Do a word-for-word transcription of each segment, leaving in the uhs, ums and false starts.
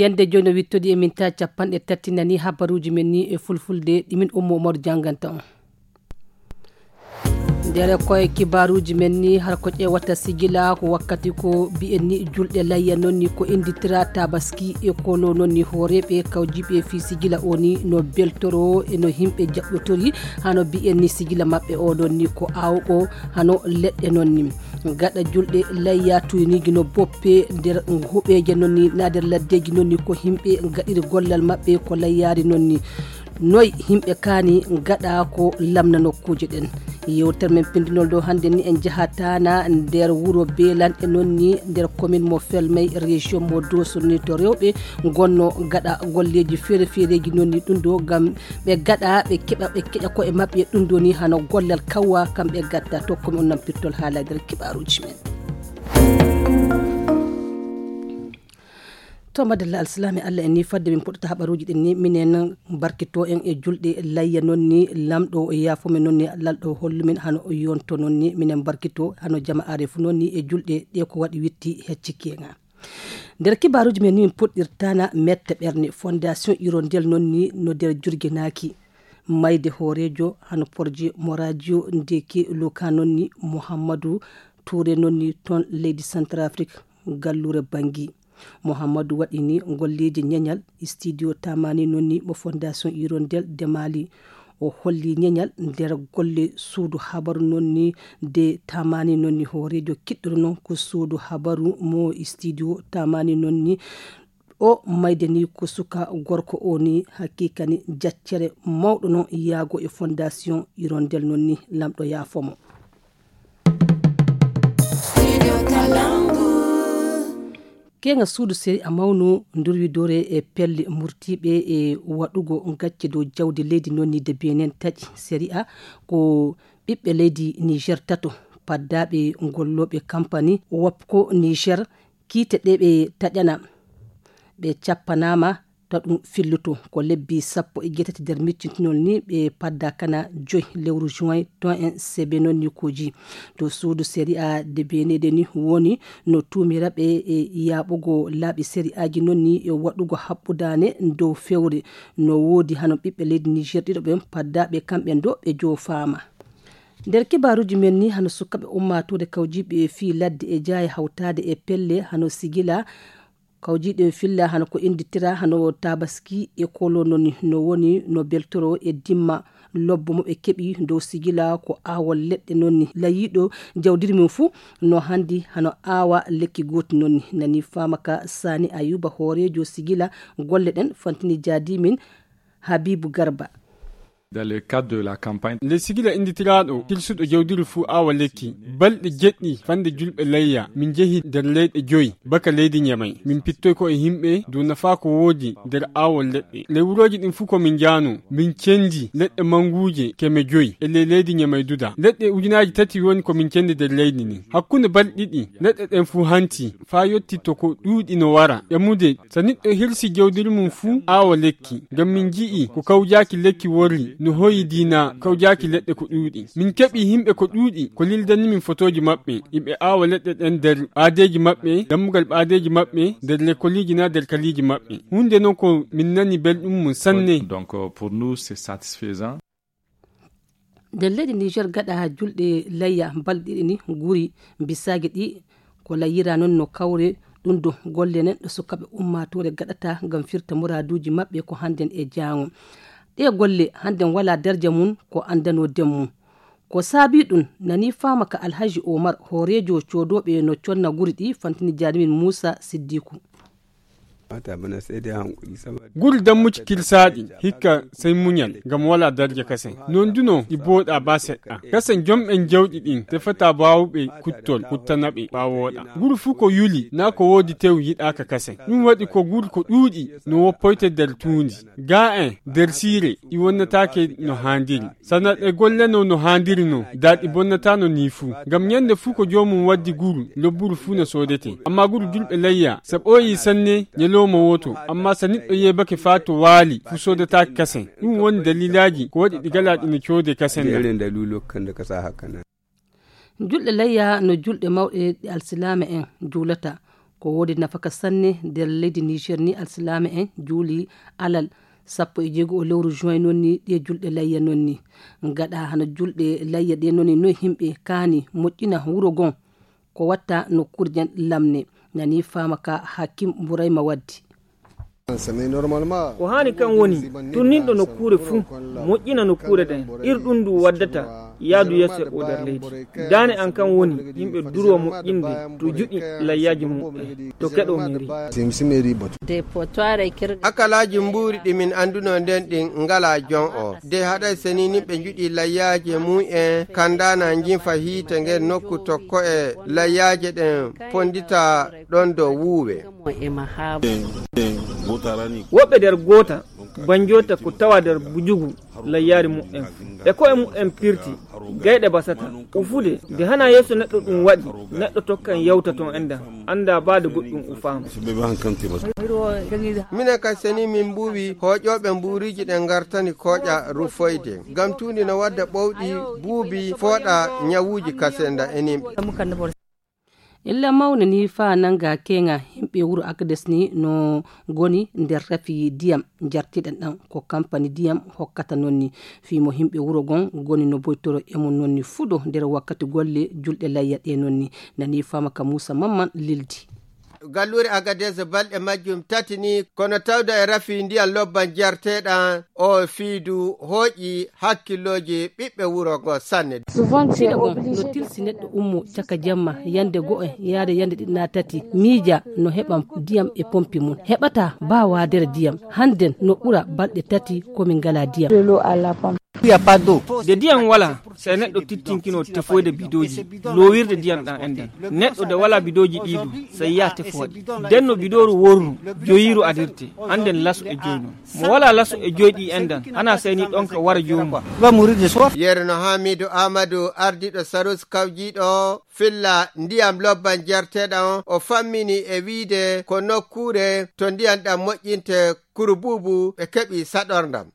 Yande jooni no wittodi e min ta capanɗe tati nani habaruuji men ni e fulfulde ɗi min Ummu Umaru jannganta on. Nder koye kibaaruuji men ni har ko ƴeewata sigila ko wakkati ko mbi'en ni julɗe layya noon ni ko innditira tabaski e kolo noon ni hooreeɓe kawjiiɓe fii sigila o ni no beltoro e no yimɓe jaɓɓotori hano mbi'en ni sigila maɓɓe o noon ni ko aawɓo hano leɗɗe noon ni. Gaɗa julɗe layya tuyniiji no boppe nder huɓeeje noon ni na nder laddeeji noon ni ko yimɓe gaɗiri gollal maɓɓe ko layyaari noon ni. Noy yimɓe kaani gaɗa ko lamna nokkuuje ɗen. Yewtere men pindinol ɗo hannde ni en jahatana nder wuro beelanɗe noon ni nder commune mo felmay région mo doso ni to rewɓe gonno gaɗa golleeji feere feereeji noon ni ɗum ɗo ngam ɓe gaɗa ɓe keɓa ɓe keƴa koye maɓɓe ɗum ɗo ni hano gollal kawwa kamɓe gatta tokko mi on nampirtol haala nder kibaruuji men. To madalla alsilaami allah en ni fadde min puɗɗata haɓaruuji ɗin ni minen barkito en e julɗe layya noon ni lamɗo o yaafo men noon ni lalɗo hollu min hano o yonto noon ni minen barkito hano jama are fu noon ni e julɗe ɗe ko waɗi witti heccikkenga. Nder kibaaruuji men ni min puɗɗirtana mette ɓerne fondation hirondel noon ni no nder jurginaaki mayde hooreejo hano porje mo radio ndeke loka noon ni mouhammadou toure noon ni toon leydi centrafrique. Gallure bangi mouhammadou waɗini golleeji ñeñal studio tamani noon ni mo fondation hirondel de mali. O holli ñeñal nder golle suudu habaru noon ni de tamani noon ni hooreejo kiɗɗuɗo noon ko suudu habaru mo studio tamani noon ni. O mayde ni ko suka gorko o ni haqiqa ni jaccere mawɗo noon yaago e fondation hirondel noon ni lamɗo yaafo mo. Keŋa suudu seri a mawnu ndurwidore e pelle murtiiɓe e waɗugo gacce dow jawdi leydi noon ni de benen taƴi seri a ko ɓiɓɓe leydi niger tato paddaaɓe gollooɓe kampani wapco niger kiite ɗe ɓe taƴana ɓe cappanaama. To ɗum filluto ko lebbi sappo e jeetati nder miccintinol ni ɓe padda kana joyi lewru juin ton en sebe noon ni koji to suudu série a de benede ni woni no tuumira ɓe e yaaɓugo laaɓi série aji noon ni e waɗugo haɓɓudaane dow fewre. No woodi hano ɓiɓɓe leydi niger ɗiɗo ɓen paddaaɓe kamɓe do ɓe joofaama. Nder kibaaruuji men ni hano sukkaɓe ummaatuure kawjiiɓe fii ladde e jaaya hawtaade e pelle hano sigila kawjiiɗe filla hano ko innditira hano tabaski e kolo noon no woni no beltoro e dimma lobbo mo ɓe keɓi dow sigila ko aawol leɗɗe noon ni layiiɗo jawdiri mum fuu no hanndi hano aawa lekki gooti noon ni nani faama ka saani ayuba hooreejo sigila golle ɗen fantini jaadi min habibu garba. Dans le cadre de la campagne, le sigila innditiraɗo kirsuɗo jawdiri fuu awa lekki balɗe jeɗɗi fande julɓe layya min jehi nder leyɗe joyi baka leydi ñamay min pittoy ko e yimɓe dow nafa ko woodi nder awol leɗɗe lewuroji ɗin fuu ko min jaano min cendi leɗɗe manguje keme joyi e ley leydi ñamay duda leɗɗe ujunaji tati woni ko min cendi nder leydi ndin hakkunde balɗe ɗiɗi leɗɗe ɗen fuu hanti faa yotti to ko ɗuuɗi no wara ƴamude so niɗɗo hirsi jawdiri mum fuu aawa lekki ngam min nji'i ko kawjaaki lekki worri no hoyi diina kawjaaki leɗɗe ko ɗuuɗi min keɓi yimɓe ko ɗuuɗi ko lildani min fotooji maɓɓe iɓe aawa leɗɗe ɗen nder ɓaadeeji maɓɓe dammugal ɓaadeeji maɓɓe nder lekoliiji naa nder kaliiji maɓɓe huunde non ko min nani belɗum mum sanne. Donc, euh, pour nous, c'est satisfaisant. Nder leydi niger gaɗa julɗe layya balɗe ɗiɗi ni guri bisaji ɗi ko layyira noon no kawre ɗum do golle nen ɗo sukaɓe ummatore gaɗata ngam firta muraduji maɓɓe ko hannden e jaango. Ɗe golle hannden wala darja mum ko andano den mum. Ko saabi ɗum nani fama ka alhaji omar hoorejo codoɓe no conna guri ɗi fantini jarimin muusa siddiku. Guri dammuci kirsaaɗi hikka sey muñal ngam walaa darja kasen non duno ɗi booɗaa baa seɗɗa kasen jom'en jawɗi ɗin tefataa baawuɓe kuttol kuttanaɓe ɓaawooɗa. Guri fuu ko yuli naa ko woodi tew yiɗaaka kasen ɗum waɗi ko guri ko ɗuuɗi no woppoyte nder tuundi gaa'en nder siire ɗi wonnataake no haandiri. Sana ɗe golleno no haandiri non daa ɗi bonnataano nii fuu ngam ñannde fuu ko joomum waddi guru lobburu fuu no soodetee ammaa guru julɓe layya so ɓooyii sanne ñalooma wooto ammaa so niɗɗo yeebake faa to waali fuu soodataake kasen. Ɗum woni dalilaaji ko waɗi ɗi galaa ɗi no coodee kasen na. Julɗe layya no julɗe mawɗe ɗe alsilaama en juulata. Ko woodi nafaka sanne nder leydi Niger ni, alsilaame en juuli alal sappo e jeego o lewru juin noon ni, ɗe julɗe layya noon ni. Gaɗa hano julɗe layya ɗe noon ni, noy himɓe kaani moƴƴina wuro gon? Ko watta nokkuure nden lamne, nani faama ka Hakim Burayma waddi. Ko haani kan woni tunninɗo nokkuure fuu, moƴƴina nokkuure nden, ir ɗum ndu waddata yaadu yeeso e o nder leydi. Daane an kan woni yimɓe durwa moƴƴinde to juɗi layyaaji mum en to keɗo meri. Akalaaji mbuuri ɗi min annduno nden ɗin ngalaa jon o. De haɗay seni nimɓe njuɗi layyaaji mum en kandaana njinfa hiite ngen nokku tokko e layyaaje ɗen pondita ɗon dow wuuwe. Woɓɓe nder goota banjoota ko tawa nder bujugu layyaari mu'en fuu. E ko'e mu'en pirti, gayɗe basata, ufude, nde hana yeeso neɗɗo ɗum waɗi, neɗɗo tokkan yawta ton endan, annda baade goɗɗum ufaama. Minen ka seni min mbuuwi hooƴooɓe mbuuriiji ɗen ngartani kooƴa rufoyde, ngam tuundi no wadda ɓowɗi buubi fooɗa ñawuuji kasenda e nimɓe. Illa mawna ni faa nannga keeŋa, yimɓe wuro Agades ni no ngoni nder rafi ndiyam njartiɗen ɗam, ko kampani ndiyam hokkata noon ni. Fii mo yimɓe wuro ngon ngoni no boytoro e mum noon ni fuɗo nder wakkati golle julɗe layya ɗe noon ni. Nani faama ka Muusa Mamman lildi. Galluure Agades balɗe majjum tati ni, kono tawda e rafi ndiyam lobban jarteɗam o fiidu hooƴi hakkillooji ɓiɓɓe wuro ngo sanne. Siɗo gon no tilsi neɗɗo ummo caka jamma yande go'o yaade yande ɗiɗi na tati, miija no heɓa ndiyam e pompi mum. Heɓata baa waadere ndiyam. Hannden no ɓura balɗe tati ko min ngalaa ndiyam. Nde ndiyam walaa, sey neɗɗo tittinkino tefoyde bidooji, loowirde ndiyam ɗam enɗam. Neɗɗo nde walaa bidooji ɗii du, sey yaha tefoo ɗi. Nden no bidooru worru, joyiiru adirte, hannden laso e joy non. Mo walaa laso e joy ɗi enɗam, hana sey ni ɗon ka wara joomum. Yerno Hamidu Amadou, ardiiɗo Sarus kawjiiɗo filla ndiyam lobban jarteɗam on, o fammini e wiide ko nokkuure to ndiyam ɗam moƴƴinte. Kurubuubu ɓe keɓi saɗorndam.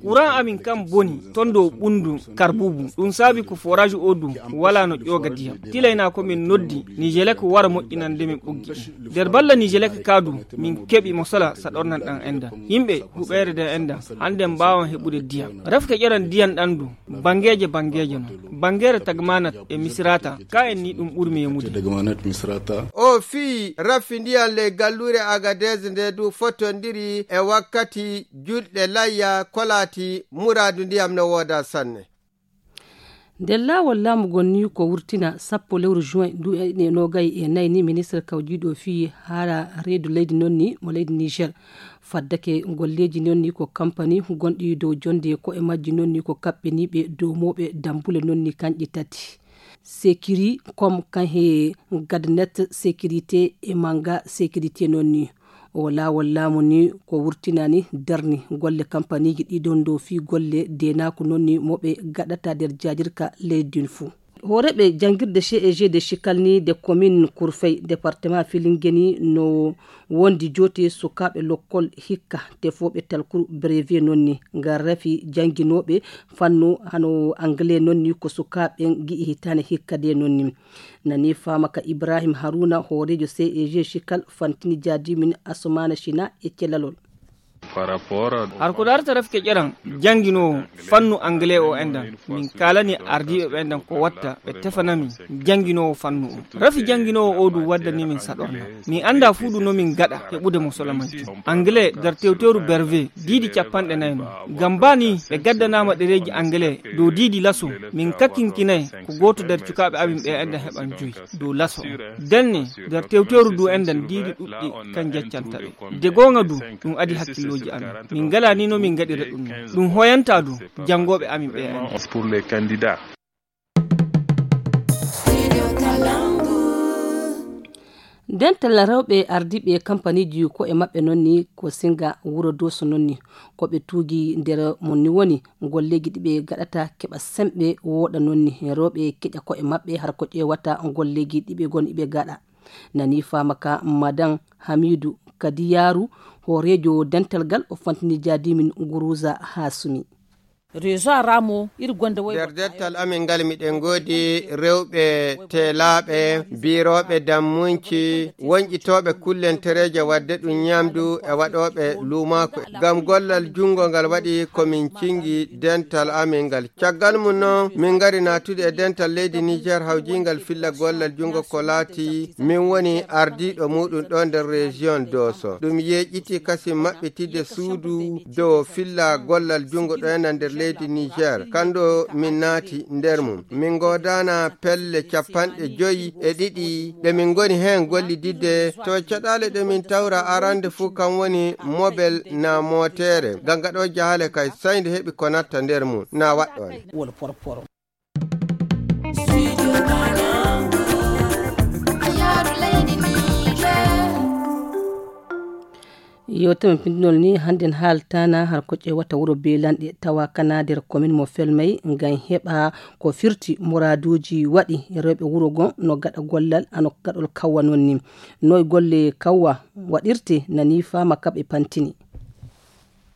Kuran amin kan boni ton dow ɓunndu Karbuubu. Ɗum saabi ko forage o du walaa no ƴooga ndiyam. Tilaynaa ko min noddi Nijelek wara moƴƴinande min ɓoggi ɗin. Nder balla Nijelek ka du, min keɓi mo sala saɗorndam ɗam enɗam. Yimɓe huɓeere nden enɗam, hannden mbaawan heɓude ndiyam. Rafke ƴeran ndiyam ɗam du, banngeeje banngeeje non. Banngeere Tagmanat e Misrata, ka en ni ɗum ɓurmi yemude. O fii rafi ndiyam ley galluure Agadez nde du fotondiri e wakkati julɗe layya kolaati muraadu ndiyam no wooda sanne. Nder laawol laamu ngon ni ko wurtina sappo lewru juin ndu e noogay e nayi ni, ministre kawjiiɗo fii haala reedu leydi non ni mo leydi Niger. Faddake golleeji non ni ko kampani gonɗi dow jonde ko e majji non ni ko kaɓɓiniiɓe dow mooɓe dambule non ni kanƴe tati. Sécuricom kan he Gadnet Sécurité e Manga Sécurité non ni. O laawol laamu ni ko wurtinani darni golle kampaniiji ɗiɗon dow fii golle deenaaku non ni mo ɓe gaɗata nder jaajirka leydi ndin fuu. Hooreeɓe janngirde C E G de Chikal ni de commune Kurfey, département Filingue ni no wondi joote sukaaɓe lokkol hikka tefooɓe talkuru brevet non ni ngal rafi jannginooɓe fannu hano anglais non ni ko sukaaɓe ngi'i hitaane hikka de non ni. Nani faama ka Ibrahim Haruna, hooreejo C E G Chikal, fantini jaadimin Asumana China e celalol. Har ko darata rafke ƴeran jannginoowo fannu anglais o enɗan, min kaalani ardiiɓe ɓe enɗan ko watta ɓe tefana min jannginoowo fannu o. Rafi jannginoowo o du waddani min saɗorna. Min annda fuu du no min gaɗa heɓude mo sola majjum. Anglais nder tewtewru berve diidi capanɗe nayi no. Ngam baa ni ɓe gaddanaama ɗereeji anglais dow diidi laso, min kakkinkinay ko gooto nder cukaaɓe amin ɓe enɗan heɓan joyi dow laso. Denne nder tewtewru du enɗan diidi ɗuɗɗi kan jaccanta ɓe. De goonga du, ɗum adi hakkillooji amin. Min ngalaa ni no min ngaɗira ɗum. Ɗum hoyanta du janngooɓe amin ɓe enɗan. Dental rewɓe ardiiɓe kampaniiji ko e maɓɓe non ni ko singa wuro Dooso non ni. Ko ɓe tuugi nder mon ni woni golleeji ɗi ɓe gaɗata keɓa semɓe wooɗa non ni. Rewɓe keƴa ko e maɓɓe har ko ƴeewata golleeji ɗi ɓe ngoni ɓe gaɗa. Nani faama ka Madan Hamidu Kadiyaaru, hooreejo dental gal, o fantini jaadimin Guruza Hasumi. Réseau Ramo, iri gonda woy. Nder dettal amin ngal, miɗen ngoodi rewɓe teelaaɓe, biirooɓe dammunci, wonƴitooɓe kullentereeje waɗde ɗum ñamdu e waɗooɓe luumaaku. Ngam gollal junngo ngal waɗi ko min cingi dental amin ngal. Caggal mum noon, min ngari naatude e dental leydi Niger hawjiingal filla gollal junngo ko laati min woni ardiiɗo muɗum ɗo nder région Doso. Ɗum yeeƴiti kasin maɓɓitidde suudu dow filla gollal junngo ɗo ena nder leydi Niger. Kanɗo min naati nder mum. Min ngoodana pelle capanɗe joyi e ɗiɗi ɗe min ngoni heen gollididde. To caɗaale ɗe min tawra arande fuu kam woni mobel na mootere. Ngam ngaɗo jahaale kay, say nde heɓi ko natta nder mum, na waɗɗo nde. Yo tama pindinol ni hannden haaltana har ko ƴeewata wuro Beelanɗe, tawa kana nder komin mo Felmay, ngam heɓa ko firti muraaduuji waɗi rewɓe wuro ngon no gaɗa gollal ano gaɗol kawwa non ni. Noy golle kawwa waɗirte nani fama kaɓe pantini.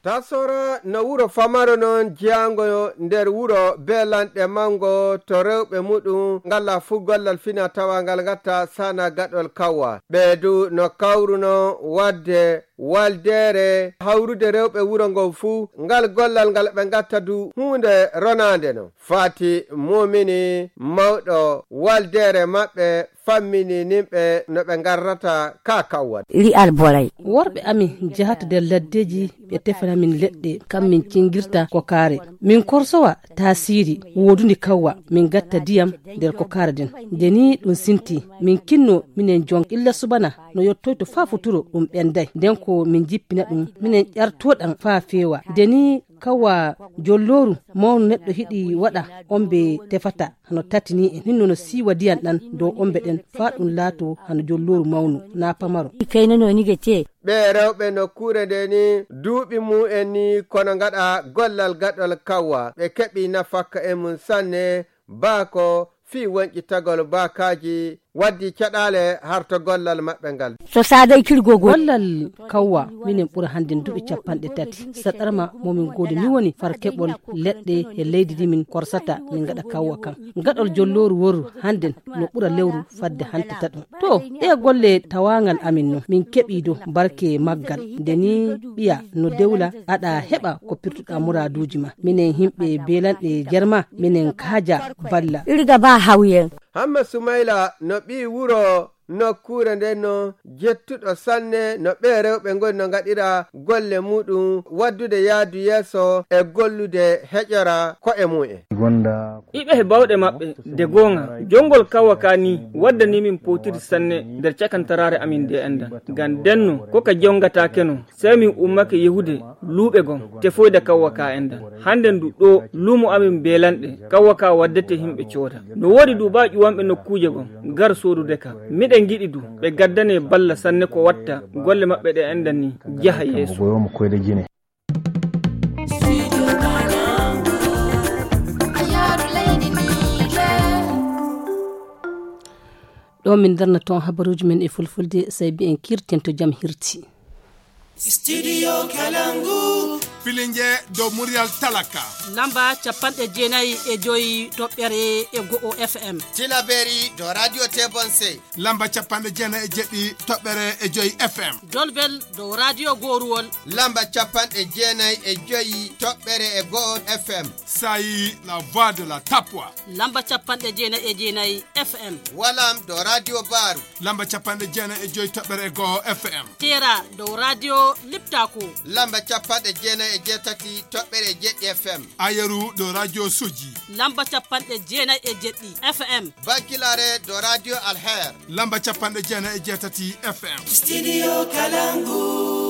Tasora no wuro famaro non jeyango nder wuro Beelanɗe mango to rewɓe muɗum ngala fuu gollal fina tawa ngal ngatta sana gaɗol kawwa. Ɓe du no kawruno wadde waldeere hawrude rewɓe wuro ngon fuu. Ngal gollal ngal ɓe ngatta du huunde ronaande no. Fati mumini mawɗo waldeere maɓɓe fammini nimɓe no ɓe ngarrata ka kawwal. Iri alboray. Worɓe amin njahata nder laddeeji, ɓe tefana min leɗɗe, kam min cingirta ko kaare. Min korsowa taasiiri woodundi kawwa, min ngatta ndiyam nder ko kaare nden. Nde ni ɗum sinti, min kinno minen jon illa subana no yottoyto faa futuro ɗum ɓenday. Nden ko min jippina ɗum, minen ƴarto ɗam faa feewa. Nde ni kawwa jollooru mawnu neɗɗo hiɗi waɗa, ombe tefata hano tati ni en. Hinno no siiwa ndiyam ɗam dow ombe ɗen faa ɗum laato hano jollooru mawnu, na pamaro. Kayna no ni ga te. Ɓe rewɓe nokkuure nde ni duuɓi mum en ni kono ngaɗa gollal gaɗol kawwa. Ɓe keɓi nafakka e mum sanne, baako fii wonƴitagol baakaaji waddi caɗaale harto gollal maɓɓe ngal. So saaday kirgogol. Gollal kawwa, minen ɓura hannden duuɓi capanɗe tati. Saɗarma mo min ngoodi ni woni far keɓol leɗɗe e leydi ndi min korsata, min ngaɗa kawwa kan. Gaɗol jollooru woru hannden no ɓura lewru fadde hantata ɗum. To, ɗe golle tawaangal amin no, min keɓii do barke maggal. Nde ni ɓiya no dewla, aɗa heɓa ko pirtuɗa muraaduuji ma. Minen himɓe Beelanɗe Jerma, minen kaaja balla. Irga ba hawyen. Hamma Sumayla no ɓii wuro nokkuure nden no jettuɗo sanne no ɓee rewɓe ngoni no ngaɗira golle muɗum waddude yaadu yeeso e gollude heƴora ko'e mum en. Iɓe he bawɗe maɓɓe de goonga. Jongol kawwa ka ni waddani min powtiri sanne nder cakantaraare amin nde enɗan. Ngam ndenno ko ka jongataake no, sey min ummake yehude luuɓe gon tefoyde kawwa ka enɗan. Hannden du ɗo luumo amin Beelanɗe, kawwa ka waddete himɓe cooda. No woodi du ba ƴuwanɓe nokkuuje gon ngar soodude ka. Miɗen ngiɗi du ɓe gaddane balla sanne ko watta golle maɓɓe ɗe enɗan ni jaha yeeso. Ɗo min darna toon habaruuji men e fulfulde, sey mbiyen kirten to jam hirti. Studio Kalangu. Filinge dow muryal talaka. Lamba capanɗe jeenayi e joyi toɓɓere e go'o F M. Tilaberi dow Radio Tebonse. Lamba capanɗe jeenayi e jeɗɗi toɓɓere e joyi F M. Dolbel dow Radio Goruwol. Lamba capanɗe jeenayi e joyi toɓɓere e go'o F M. Sayi, la voix de la Tapwa. Lamba capanɗe jeenayi e jeenayi F M. Walam dow Radio Baru. Lamba capanɗe jeenayi e joyi toɓɓere e go'o F M. Tera dow Radio Liptako. Lamba capanɗe jeenayi e jeetati toɓɓere e jeɗɗi F M. Ayeru dow Radio Soji. Lamba capanɗe jeenayi e jeɗɗi F M. Bankilare dow Radio Alher. Lamba capanɗe jeenayi e jeetati F M. Studio Kalangu.